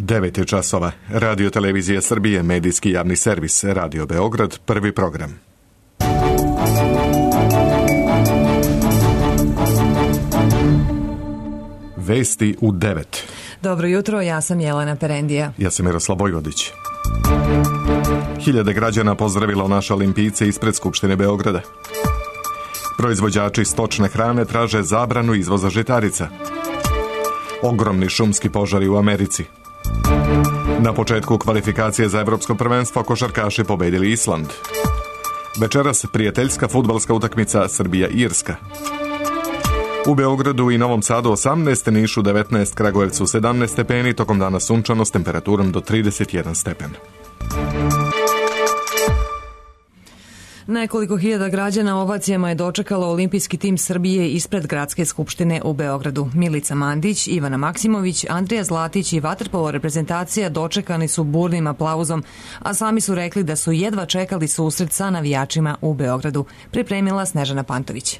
9 je časova. Radio Televizija Srbije, medijski javni servis, Radio Beograd, prvi program. Vesti u 9. Dobro jutro, ja sam Jelena Perendija. Ja sam Miroslav Vojvodić. Hiljade građana pozdravilo naše olimpijce ispred Skupštine Beograda. Proizvođači stočne hrane traže zabranu izvoza žitarica. Ogromni šumski požari u Americi. Na početku kvalifikacije za evropsko prvenstvo košarkaši pobedili Island. Večeras prijateljska fudbalska utakmica Srbija-Irska. U Beogradu i Novom Sadu 18, Nišu 19, Kragujevcu 17 stepeni, tokom dana sunčano s temperaturom do 31 stepen. Nekoliko hiljada građana ovacijama je dočekalo olimpijski tim Srbije ispred Gradske skupštine u Beogradu. Milica Mandić, Ivana Maksimović, Andrija Zlatić i vaterpolo reprezentacija dočekani su burnim aplauzom, a sami su rekli da su jedva čekali susret sa navijačima u Beogradu. Pripremila Snežana Pantović.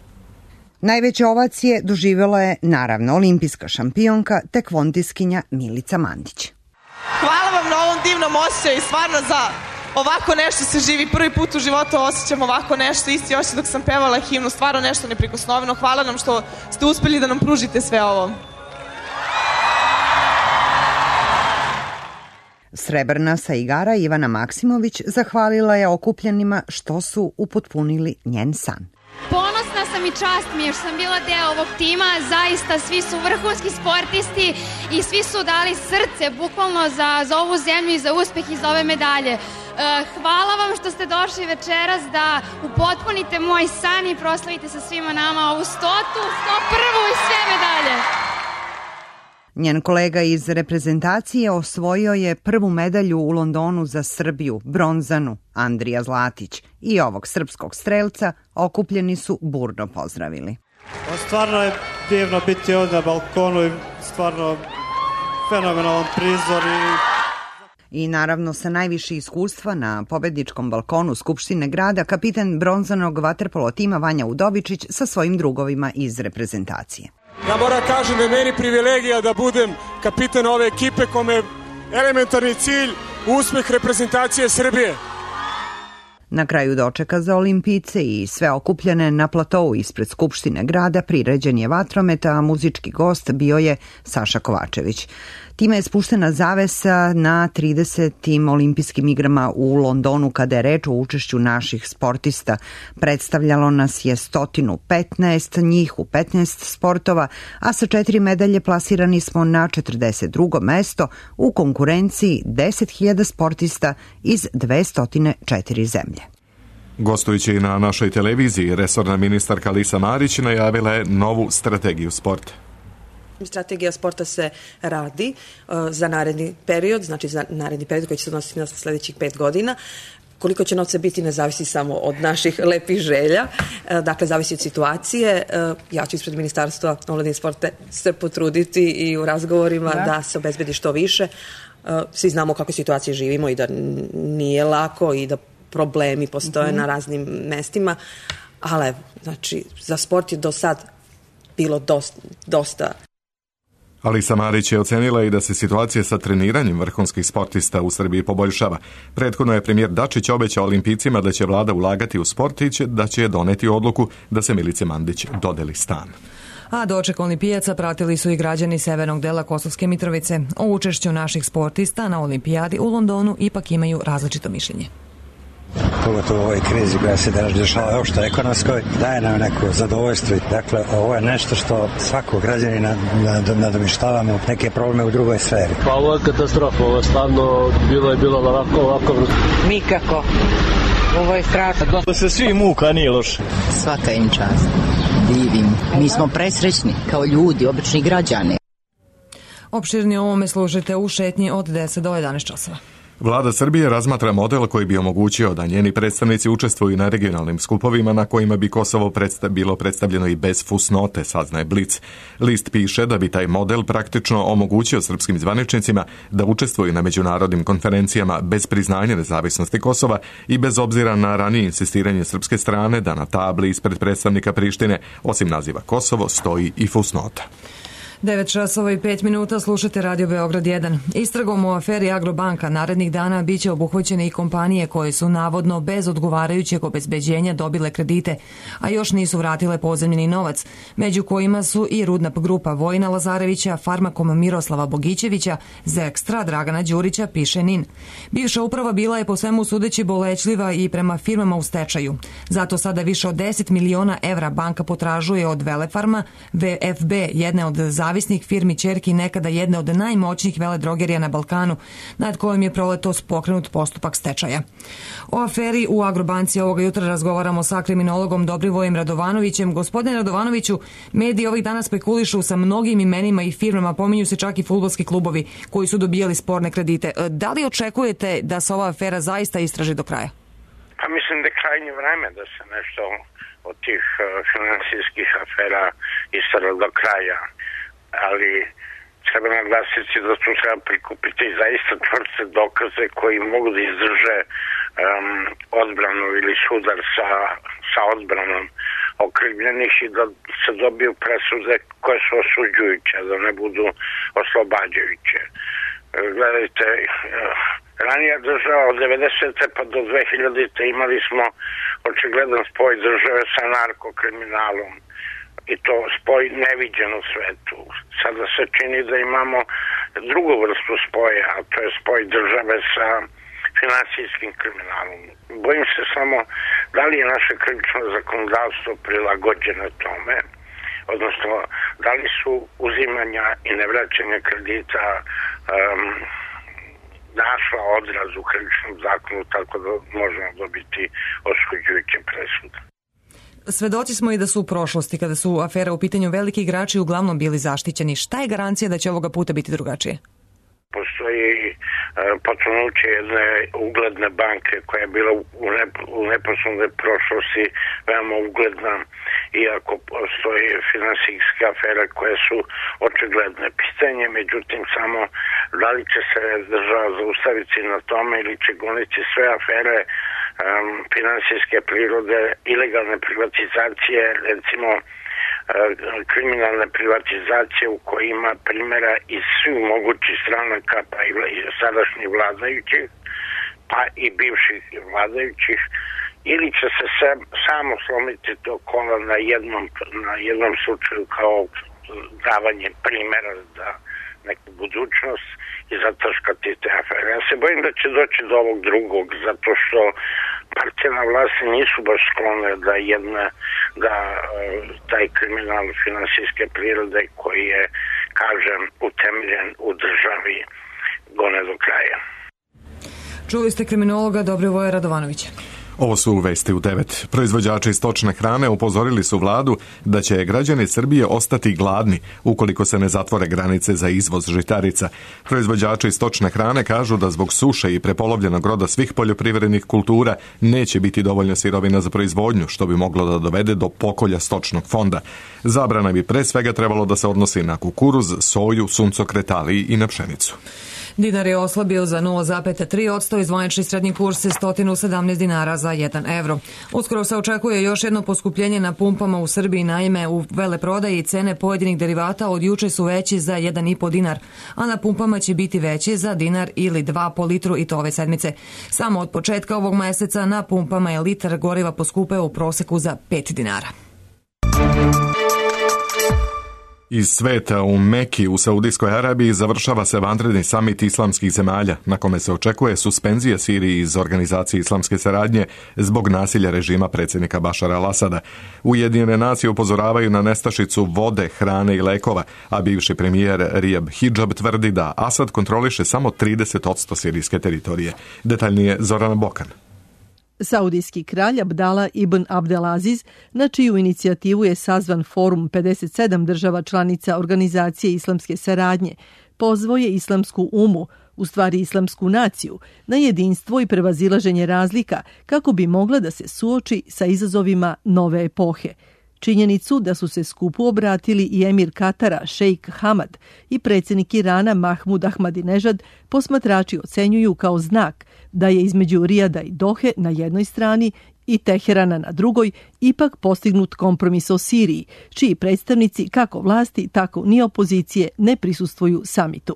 Najveće ovacije doživjela je, naravno, olimpijska šampionka, tekvondiskinja Milica Mandić. Hvala vam na ovom divnom osjećaju i stvarno za ovako nešto se živi. Prvi put u životu osjećam ovako nešto, isti osjećaj dok sam pevala himnu, stvarno nešto neprikosnoveno. Hvala nam što ste uspeli da nam pružite sve ovo. Srebrna sa igara Ivana Maksimović zahvalila je okupljenima što su upotpunili njen san. Ponosna sam i čast mi je što sam bila deo ovog tima, zaista svi su vrhunski sportisti i svi su dali srce bukvalno za ovu zemlju i za uspeh i za ove medalje. Hvala vam što ste došli večeras da upotpunite moj san i proslavite sa svima nama ovu 100., 101. i sve medalje. Njen kolega iz reprezentacije osvojio je prvu medalju u Londonu za Srbiju, bronzanu, Andrija Zlatić, i ovog srpskog strelca okupljeni su burno pozdravili. Stvarno je divno biti ovdje na balkonu i stvarno fenomenalan prizor. I naravno sa najviše iskustva na pobedničkom balkonu Skupštine grada kapitan bronzanog vaterpolo tima Vanja Udovičić sa svojim drugovima iz reprezentacije. Ja moram kažem da je meni privilegija da budem kapitan ove ekipe kome je elementarni cilj uspeh reprezentacije Srbije. Na kraju dočeka za olimpijce i sve okupljene na platovu ispred Skupštine grada priređen je vatromet, a muzički gost bio je Saša Kovačević. Time je spuštena zavesa na 30. olimpijskim igrama u Londonu kada je reč o učešću naših sportista. Predstavljalo nas je 115, njih u 15 sportova, a sa 4 medalje plasirani smo na 42. mesto u konkurenciji 10.000 sportista iz 204 zemlje. Gostujući na našoj televiziji, resorna ministarka Alisa Marić najavila je novu strategiju sporta. Strategija sporta se radi za naredni period, znači za naredni period koji će se odnositi na sljedećih 5 godina. Koliko će novca biti ne zavisi samo od naših lepih želja, dakle zavisi od situacije. Ja ću ispred Ministarstva omladine i sporta se potruditi i u razgovorima da se obezbedi što više. Svi znamo kako situacije živimo i da nije lako i da problemi postoje na raznim mestima, ali znači za sport je do sad bilo dosta. Alisa Marić je ocenila i da se situacija sa treniranjem vrhunskih sportista u Srbiji poboljšava. Prethodno je premijer Dačić obećao olimpijcima da će vlada ulagati u sport i da će doneti odluku da se Milici Mandić dodeli stan. A doček olimpijaca pratili su i građani severnog dela Kosovske Mitrovice. O učešću naših sportista na olimpijadi u Londonu ipak imaju različito mišljenje. Pogotovo u ovoj krizi koja se danas dešava uopšte ekonomskoj, daje nam neko zadovoljstvo. Dakle, ovo je nešto što svakog građanina nadomištavamo neke probleme u drugoj sferi. Pa ovo je katastrofa, ovo je stvarno bilo ovako. Nikako. Ovo je strašno. Da se svi muka, nije loše. Svaka im čast. Divim. Mi smo presrećni kao ljudi, obični građani. Opširnije o ovome slušajte u šetnji od 10 do 11 časova. Vlada Srbije razmatra model koji bi omogućio da njeni predstavnici učestvuju na regionalnim skupovima na kojima bi Kosovo bilo predstavljeno i bez fusnote, saznaje Blic. List piše da bi taj model praktično omogućio srpskim zvaničnicima da učestvuju na međunarodnim konferencijama bez priznanja nezavisnosti Kosova i bez obzira na ranije insistiranje srpske strane da na tabli ispred predstavnika Prištine, osim naziva Kosovo, stoji i fusnota. 9:05 slušate Radio Beograd 1. Istragom o aferi Agrobanka narednih dana biće obuhvaćene i kompanije koje su navodno bez odgovarajućeg obezbeđenja dobile kredite, a još nisu vratile pozajmljeni novac, među kojima su i rudna grupa Vojina Lazarevića, Farmakom Miroslava Bogićevića, Zekstra Dragana Đurića, piše NIN. Bivša uprava bila je po svemu sudeći bolećljiva i prema firmama u stečaju. Zato sada više od 10 miliona evra banka potražuje od Velefarma, VFB, jedne od zavisnih firmi ćerki nekada jedne od najmoćnijih veledrogerija na Balkanu, nad kojim je proletos pokrenut postupak stečaja. O aferi u Agrobanci ovoga jutra razgovaramo sa kriminologom Dobrivojem Radovanovićem. Gospodine Radovanoviću, mediji ovih dana spekulišu sa mnogim imenima i firmama, pominju se čak i fudbalski klubovi koji su dobijali sporne kredite. Da li očekujete da se ova afera zaista istraži do kraja? Pa mislim da je krajnje vreme da se nešto od tih finansijskih afera istraži do kraja, ali treba naglasiti da tu treba prikupiti zaista čvrste dokaze koji mogu da izdrže odbranu ili sudar sa odbranom okrivljenih i da se dobiju presude koje su osuđujuće, da ne budu oslobađajuće. Gledajte, ranija država od 90. pa do 2000. imali smo očigledan spoj države sa narkokriminalom i to spoj neviđen u svetu. Sada se čini da imamo drugu vrstu spoja, a to je spoj države sa finansijskim kriminalom. Bojim se samo da li je naše krivično zakonodavstvo prilagođeno tome, odnosno da li su uzimanja i nevraćanja kredita našla odraz u krivičnom zakonu tako da možemo dobiti osuđujuće presude. Svedoci smo i da su u prošlosti, kada su afere u pitanju, veliki igrači uglavnom bili zaštićeni. Šta je garancija da će ovoga puta biti drugačije? Postoji potonuće jedne ugledne banke koja je bila u neposrednoj prošlosti veoma ugledna, iako postoje finansijske afere koje su očigledne. Pitanje, međutim, samo da li će se država zaustaviti na tome ili će goniti sve afere finansijske prirode, ilegalne privatizacije, recimo kriminalne privatizacije u kojima primjera iz svih mogućih stranaka, pa i sadašnjih vladajućih, pa i bivših vladajućih, ili će se samo slomiti to kola na jednom slučaju kao davanje primjera za neku budućnost i zataškati te afere. Ja se bojim da će doći do ovog drugog, zato što partije na vlasti nisu baš sklone da taj kriminal finansijske prirode koji je, kažem, utemeljen u državi gone do kraja. Čuli ste kriminologa Dobrivoja Radovanovića. Ovo su vesti u 9. Proizvođači stočne hrane upozorili su vladu da će građani Srbije ostati gladni ukoliko se ne zatvore granice za izvoz žitarica. Proizvođači stočne hrane kažu da zbog suše i prepolovljenog roda svih poljoprivrednih kultura neće biti dovoljno sirovina za proizvodnju, što bi moglo da dovede do pokolja stočnog fonda. Zabrana bi pre svega trebalo da se odnosi na kukuruz, soju, suncokret, ali i na pšenicu. Dinar je oslabio za 0,3%, zvanični srednji kurs je 117 dinara za 1 evro. Uskoro se očekuje još jedno poskupljenje na pumpama u Srbiji, naime u veleprodaji cene pojedinih derivata od juče su veći za 1,5 dinar, a na pumpama će biti veći za dinar ili 2 po litru i to ove sedmice. Samo od početka ovog meseca na pumpama je litar goriva poskupeo u proseku za 5 dinara. Iz sveta u Meki u Saudijskoj Arabiji završava se vanredni samit islamskih zemalja, na kome se očekuje suspenzija Siriji iz Organizacije islamske saradnje zbog nasilja režima predsjednika Bašara al-Asada. Ujedinjene nacije upozoravaju na nestašicu vode, hrane i lekova, a bivši premijer Rijab Hidžab tvrdi da Asad kontroliše samo 30% sirijske teritorije. Detaljnije Zorana Bokan. Saudijski kralj Abdala ibn Abdelaziz, na čiju inicijativu je sazvan forum 57 država članica Organizacije islamske saradnje, pozvao je islamsku umu, u stvari islamsku naciju, na jedinstvo i prevazilaženje razlika kako bi mogla da se suoči sa izazovima nove epohe. Činjenicu da su se skupu obratili i emir Katara šejk Hamad i predsjednik Irana Mahmud Ahmadinejad posmatrači ocenjuju kao znak da je između Rijada i Dohe na jednoj strani i Teherana na drugoj, ipak postignut kompromis o Siriji, čiji predstavnici kako vlasti, tako ni opozicije ne prisustvuju samitu.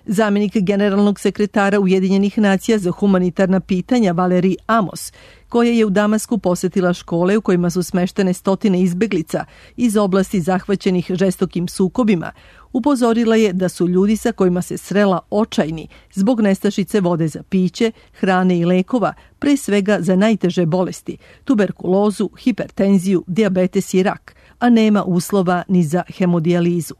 Zamenik generalnog sekretara Ujedinjenih nacija za humanitarna pitanja Valerij Amos, koja je u Damasku posetila škole u kojima su smeštene stotine izbeglica iz oblasti zahvaćenih žestokim sukobima, upozorila je da su ljudi sa kojima se srela očajni zbog nestašice vode za piće, hrane i lekova, pre svega za najteže bolesti, tuberkulozu, hipertenziju, dijabetes i rak, a nema uslova ni za hemodijalizu.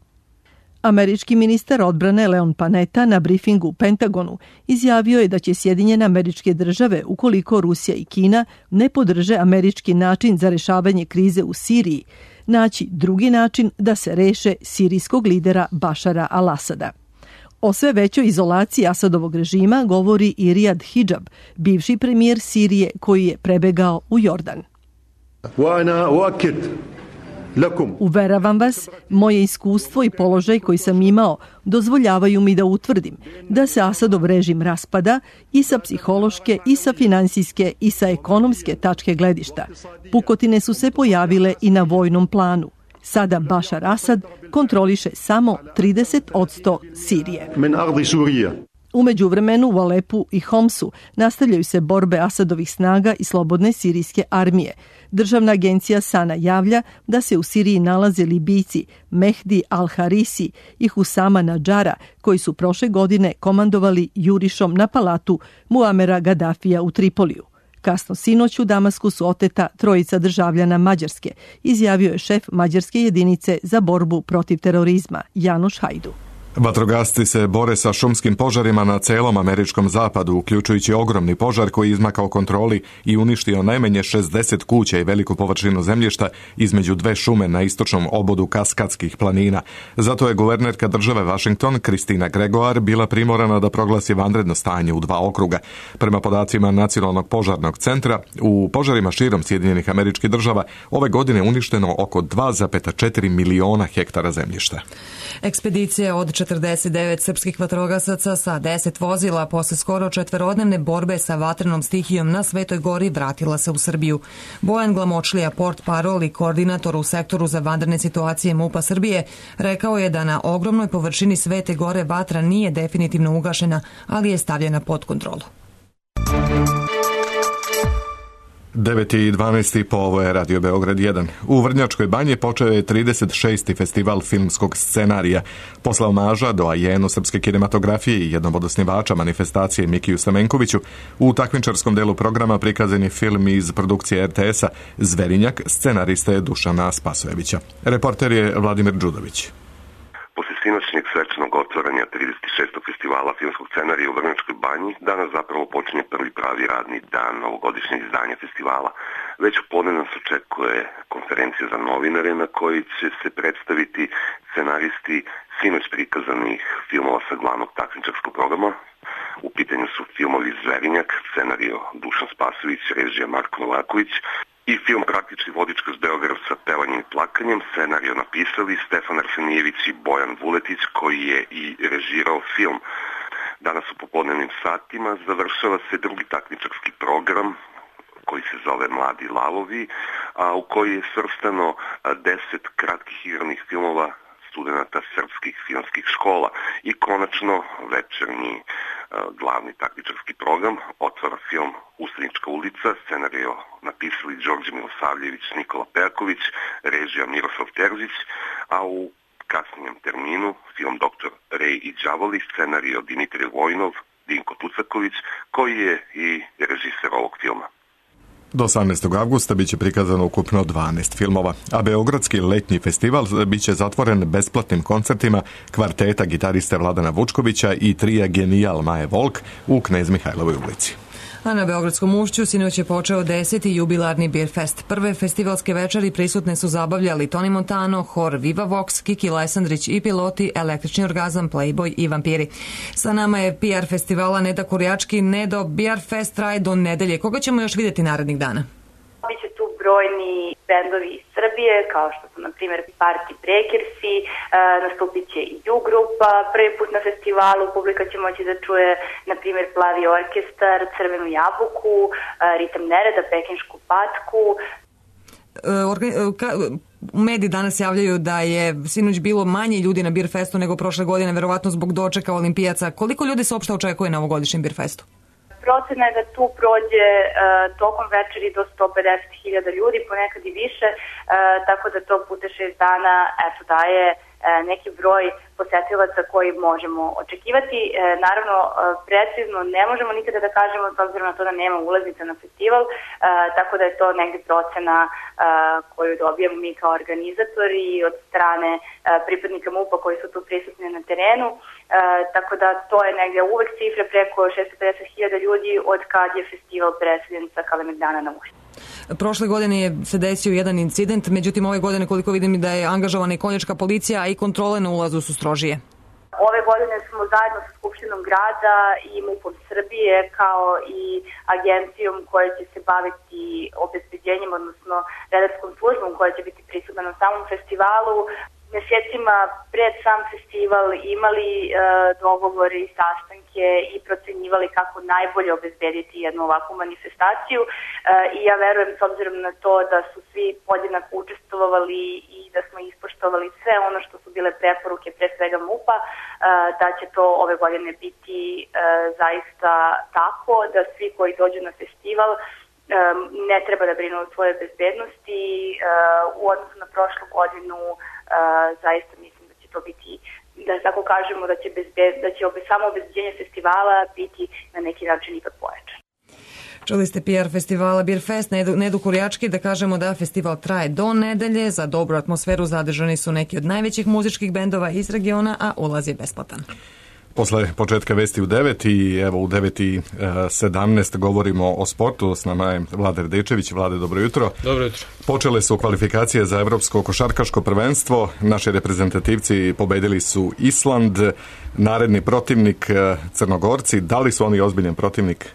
Američki ministar odbrane Leon Panetta na brifingu u Pentagonu izjavio je da će Sjedinjene Američke Države, ukoliko Rusija i Kina ne podrže američki način za rešavanje krize u Siriji, naći drugi način da se reše sirijskog lidera Bašara al-Asada. O sve većoj izolaciji Asadovog režima govori i Rijad Hidžab, bivši premijer Sirije koji je prebegao u Jordan. Uveravam vas, moje iskustvo i položaj koji sam imao dozvoljavaju mi da utvrdim da se Asadov režim raspada i sa psihološke, i sa finansijske, i sa ekonomske tačke gledišta. Pukotine su se pojavile i na vojnom planu. Sada Bašar Asad kontroliše samo 30% Sirije. U međuvremenu u Alepu i Homsu nastavljaju se borbe Asadovih snaga i slobodne sirijske armije. Državna agencija Sana javlja da se u Siriji nalaze Libijci Mehdi al-Harisi i Husama Nadžara, koji su prošle godine komandovali jurišom na palatu Muamera Gaddafija u Tripoliju. Kasno sinoć u Damasku su oteta trojica državljana Mađarske, izjavio je šef mađarske jedinice za borbu protiv terorizma Janoš Hajdu. Vatrogasci se bore sa šumskim požarima na celom američkom zapadu, uključujući ogromni požar koji je izmakao kontroli i uništio najmanje 60 kuća i veliku površinu zemljišta između dve šume na istočnom obodu Kaskadskih planina. Zato je guvernerka države Washington, Kristina Gregoire, bila primorana da proglasi vanredno stanje u 2 okruga. Prema podacima Nacionalnog požarnog centra, u požarima širom Sjedinjenih Američkih Država ove godine uništeno oko 2,4 miliona hektara zemljišta. Ekspedicija od 49 srpskih vatrogasaca sa 10 vozila posle skoro 4-dnevne borbe sa vatrenom stihijom na Svetoj Gori vratila se u Srbiju. Bojan Glamočlija, portparol i koordinator u sektoru za vanredne situacije MUP-a Srbije, rekao je da na ogromnoj površini Svete Gore vatra nije definitivno ugašena, ali je stavljena pod kontrolu. 9:12 po ovo je Radio Beograd 1. U Vrnjačkoj banji počeo je 36. festival filmskog scenarija. Posle omaža doajenu srpske kinematografije i jednom od osnivača manifestacije Mikiju Stamenkoviću, u takmičarskom delu programa prikazan je film iz produkcije RTS-a Zverinjak, scenarista je Dušana Spasojevića. Reporter je Vladimir Đudović. Posle sinoćnjeg svečanog otvaranja 36. festivala filmskog scenarija u Vrnjačkoj banji, danas zapravo počinje prvi pravi radni dan ovogodišnjeg izdanja festivala. Već u podne nas očekuje konferencija za novinare na kojoj će se predstaviti scenaristi sinoć prikazanih filmova sa glavnog takmičarskog programa. U pitanju su filmovi Zverinjak, scenario Dušan Spasojević, režija Marko Novaković, i film Praktični vodič kroz Beograd sa pevanjem i plakanjem, scenario napisali Stefan Arsenijević i Bojan Vuletić, koji je i režirao film. Danas u popodnevnim satima završava se drugi takmičarski program koji se zove Mladi lavovi, a u koji je svrstano 10 kratkih igranih filmova studenata srpskih filmskih škola. I konačno večernji glavni takmičarski program otvara film Ustanička ulica, scenario napisali Đorđe Milosavljević, Nikola Perković, režija Miroslav Terzić, a u kasnijem terminu film Dr. Rej i đavoli, scenario Dimitrij Vojnov, Dinko Tucaković, koji je i režiser ovog filma. Do 18. avgusta biće prikazano ukupno 12 filmova, a Beogradski letnji festival biće zatvoren besplatnim koncertima kvarteta gitariste Vladana Vučkovića i trija Genijal Maje Volk u Knez Mihajlovoj ulici. A na Beogradskom ušću sinoć je počeo 10. jubilarni Beer Fest. Prve festivalske večeri prisutne su zabavljali Toni Montano, hor Viva Vox, Kiki Lesandrić i piloti Električni orgazam, Playboy i Vampiri. Sa nama je PR festivala Neda Kurjački. Nedo, Beer Fest traje do nedelje. Koga ćemo još vidjeti narednih dana? Biće tu brojni bendovi iz Srbije, kao što su, na primjer, Party Breakersi, nastupit će i U grupa, prvi put na festivalu publika će moći da čuje, na primjer, Plavi orkestar, Crvenu jabuku, Ritam nereda, Pekinšku patku. Mediji danas javljaju da je sinoć bilo manje ljudi na Beer Festu nego prošle godine, verovatno zbog dočeka olimpijaca. Koliko ljudi se uopšte očekuje na ovogodišnjem Beer Festu? Procena je da tu prođe tokom večeri do 150.000 ljudi, ponekad i više, tako da to puta 6 dana daje neki broj posetilaca koji možemo očekivati. Naravno, precizno ne možemo nikada da kažemo, s obzirom na to da nema ulaznica na festival, tako da je to negde procena koju dobijamo mi kao organizatori od strane pripadnika MUP-a koji su tu prisutni na terenu, tako da to je negde uvek cifra preko 650.000 ljudi od kad je festival preseljen sa Kalemegdana na Ušće. Prošle godine se desio jedan incident, međutim ove godine, koliko vidim, da je angažovana i konjačka policija, a i kontrole na ulazu su strožije. Ove godine smo zajedno sa Skupštinom grada i MUP-om Srbije, kao i agencijom koja će se baviti obezbeđenjem, odnosno redarskom službom koja će biti prisutna na samom festivalu, mesecima pred sam festival imali dogovore i sastanke i procenjivali kako najbolje obezbediti jednu ovakvu manifestaciju i ja verujem, s obzirom na to da su svi podjednako učestvovali i da smo ispoštovali sve ono što su bile preporuke pre svega MUP-a, da će to ove godine biti zaista tako da svi koji dođu na festival ne treba da brinu o svojoj bezbednosti. U odnosu na prošlu godinu zaista mislim da će to biti, da tako kažemo, da će samo obezbeđenje festivala biti na neki način ipak pojačan. Čuli ste PR festivala Beer Fest, Nedu Kurjački, da kažemo da festival traje do nedelje. Za dobru atmosferu zadržani su neki od najvećih muzičkih bendova iz regiona, a ulaz je besplatan. Posle početka vesti u 9 i evo u 9:17 govorimo o sportu. S nama je Vlada Radečević. Vlade, dobro jutro. Dobro jutro. Počele su kvalifikacije za evropsko košarkaško prvenstvo. Naši reprezentativci pobedili su Island, naredni protivnik Crnogorci. Da li su oni ozbiljan protivnik?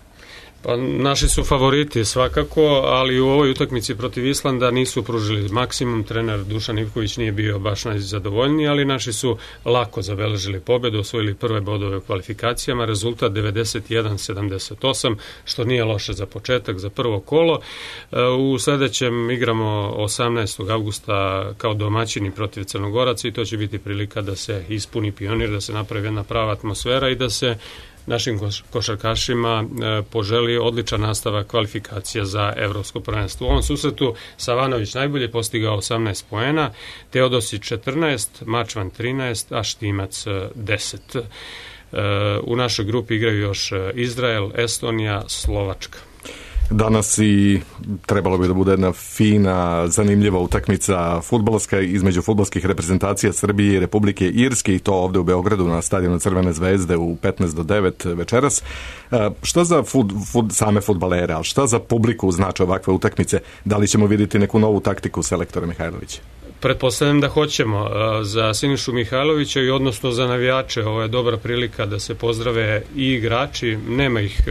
Pa naši su favoriti svakako, ali u ovoj utakmici protiv Islanda nisu pružili maksimum. Trener Dušan Ivković nije bio baš najzadovoljniji, ali naši su lako zabeležili pobedu, osvojili prve bodove u kvalifikacijama, rezultat 91-78, što nije loše za početak, za prvo kolo. U sledećem igramo 18. avgusta kao domaćini protiv Crnogoraca i to će biti prilika da se ispuni Pionir, da se napravi jedna prava atmosfera i da se našim košarkašima poželi odličan nastavak kvalifikacija za evropsko prvenstvo. U ovom susretu Savanović najbolje postigao 18 poena, Teodosić 14, Mačvan 13, a Štimac 10. U našoj grupi igraju još Izrael, Estonija, Slovačka. Danas i trebalo bi da bude jedna fina, zanimljiva utakmica fudbalska između fudbalskih reprezentacija Srbije i Republike Irske i to ovde u Beogradu na stadionu Crvene zvezde u 5:50 večeras. Šta za same fudbalere, ali šta za publiku znači ovakve utakmice? Da li ćemo vidjeti neku novu taktiku selektora Mihajlovića? Pretpostavljam da hoćemo. Za Sinišu Mihajlovića i odnosno za navijače ovo je dobra prilika da se pozdrave i igrači, nema ih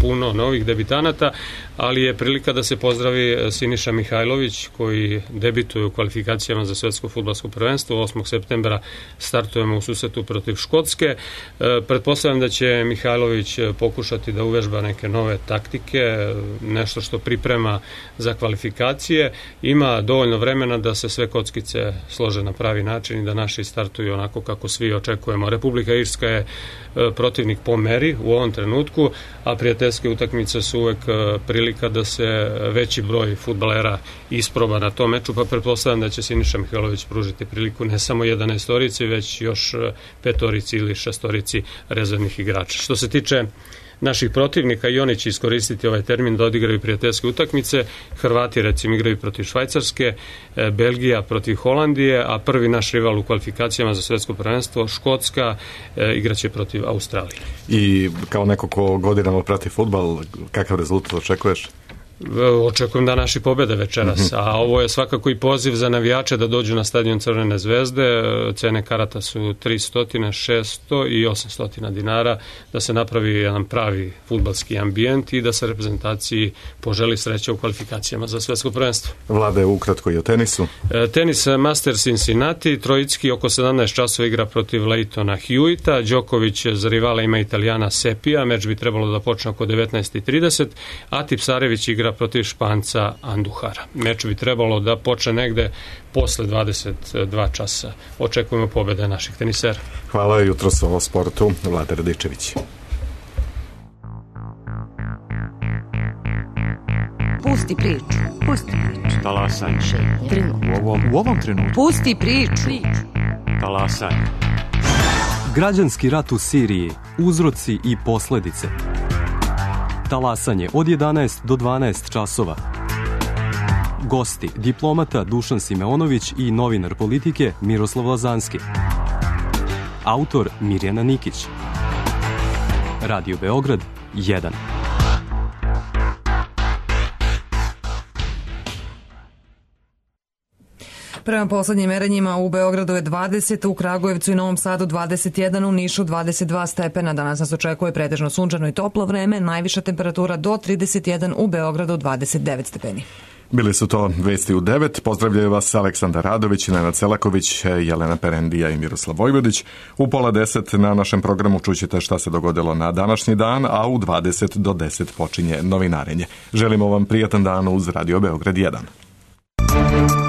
puno novih debitanata, ali je prilika da se pozdravi Siniša Mihajlović koji debituje u kvalifikacijama za svetsko fudbalsko prvenstvo. 8. septembra startujemo u susretu protiv Škotske. Pretpostavljam da će Mihajlović pokušati da uvežba neke nove taktike, nešto što priprema za kvalifikacije. Ima dovoljno vremena da se sve kockice slože na pravi način i da naši startuju onako kako svi očekujemo. Republika Irska je protivnik po meri u ovom trenutku, a prijateljske utakmice su uvek prilika da se veći broj fudbalera isproba na tom meču, pa pretpostavljam da će Siniša Mihajlović pružiti priliku ne samo 11-torici, već još 5-torici ili 6-torici rezervnih igrača. Što se tiče naših protivnika, i oni će iskoristiti ovaj termin da odigraju prijateljske utakmice. Hrvati recimo igraju protiv Švajcarske, Belgija protiv Holandije, a prvi naš rival u kvalifikacijama za svetsko prvenstvo, Škotska, igraće protiv Australije. I kao neko ko godinama prati fudbal, kakav rezultat očekuješ? Očekujem da naši pobede večeras, a ovo je svakako i poziv za navijače da dođu na stadion Crvene zvezde. Cene karata su 300, 600 i 800 dinara, da se napravi jedan pravi fudbalski ambijent i da se reprezentaciji poželi sreće u kvalifikacijama za svetsko prvenstvo. Vlade, ukratko i o tenisu. Tenis Masters Cincinnati, Trojicki oko 17 časova igra protiv Leightona Hewita, Đoković za rivala ima Italijana Sepija, meč bi trebalo da počne oko 19:30, a Tipsarević igra protiv Španca Anduhara. Meč bi trebalo da počne negde posle 22 časa. Očekujemo pobede naših tenisera. Hvala, jutros o sportu, Vlada Radičević. Pusti priču. Pusti priču. Talasanje. U ovom trenutku. Pusti priču. Talasanje. Građanski rat u Siriji, uzroci i posledice. Talasanje od 11 do 12 časova. Gosti, diplomata Dušan Simeonović i novinar politike Miroslav Lazanski. Autor Mirjana Nikić. Radio Beograd 1. Prema poslednjim merenjima u Beogradu je 20, u Kragujevcu i Novom Sadu 21, u Nišu 22 stepena. Danas nas očekuje pretežno sunčano i toplo vreme, najviša temperatura do 31, u Beogradu 29 stepeni. Bili su to vesti u 9. Pozdravljaju vas Aleksandar Radović, Nenad Selaković, Jelena Perendija i Miroslav Vojvodić. U 9:30 na našem programu čućete šta se dogodilo na današnji dan, a u 20 do 10 počinje novinarenje. Želimo vam prijatan dan uz Radio Beograd 1.